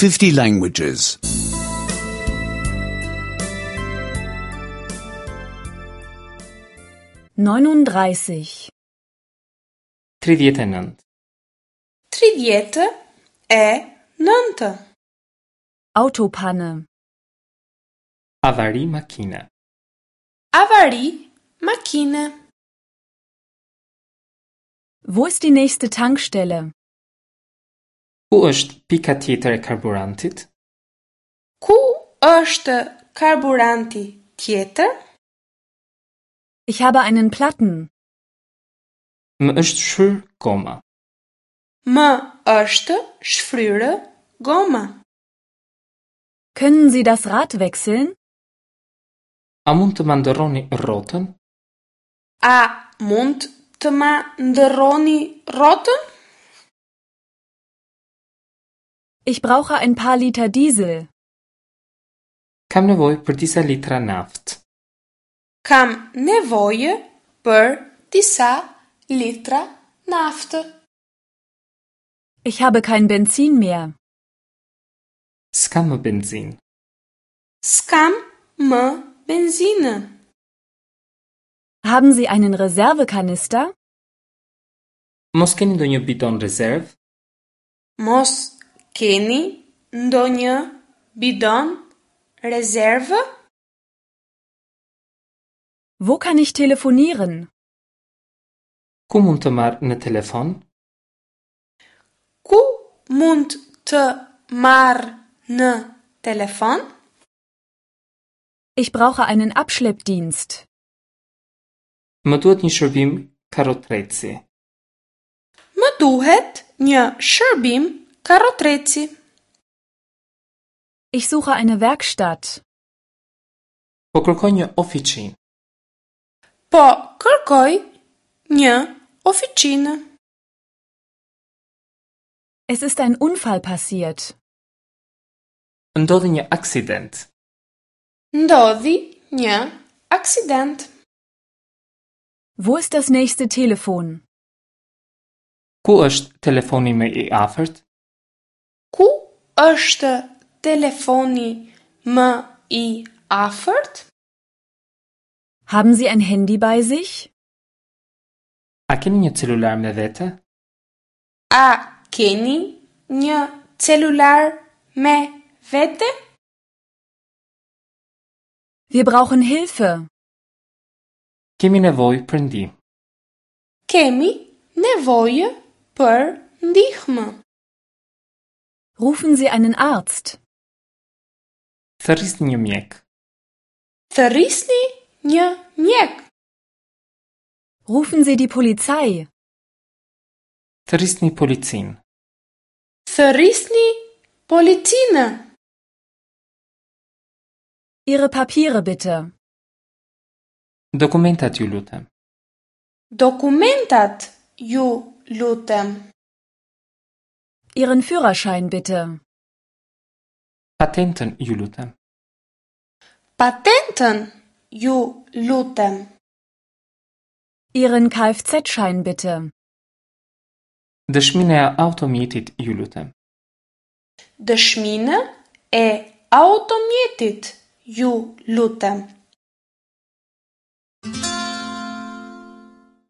50 languages. 39. 39. 39. Autopanne. Avari makine. Avari makine. Wo ist die nächste Tankstelle? Ku është pika tjetër e karburantit? Ku është karburanti tjetër? Ich habe einen Platten. Më është shfryr goma. Më është shfryrë goma. Können Sie das Rad wechseln? A mund të ma ndërroni rrotën? A mund të ma ndërroni rrotën? Ich brauche ein paar Liter Diesel. Kam nevojë për disa litra naftë. Kam nevojë për disa litra naftë. Ich habe kein Benzin mehr. S'kam më benzinë. S'kam më benzinë. Haben Sie einen Reservekanister? Mos keni ndonjë bidon rezervë? Mos keni ndonjë bidon rezervë? Wo kann ich telefonieren? Ku mund të marr në telefon? Ku mund të marr në telefon? Ich brauche einen Abschleppdienst. Më duhet një shërbim karrotreci. Më duhet një shërbim karrotreci. Ich suche eine Werkstatt. Po kërkoj një ofiçinë. Po kërkoj një ofiçinë. Es ist ein Unfall passiert. Ndodhi një aksident. Ndodhi një aksident. Wo ist das nächste Telefon? Ku është telefoni më i afërt? Ku është telefoni më i afërt? Haben Sie ein Handy bei sich? A keni një celular me vete? A keni një celular me vete? Wir brauchen Hilfe. Kemi nevojë për ndihmë. Kemi nevojë për ndihmë. Rufen Sie einen Arzt. Thërrisni një mjek. Thërrisni një mjek. Rufen Sie die Polizei. Thërrisni policinë. Thërrisni policinë. Ihre Papiere bitte. Dokumentat ju lutem. Dokumentat ju lutem. Ihren Führerschein bitte. Patentën ju lutem. Patentën ju lutem. Ihren Kfz-Schein bitte. Dëshminë e automjetit ju lutem. Dëshminë e automjetit ju lutem.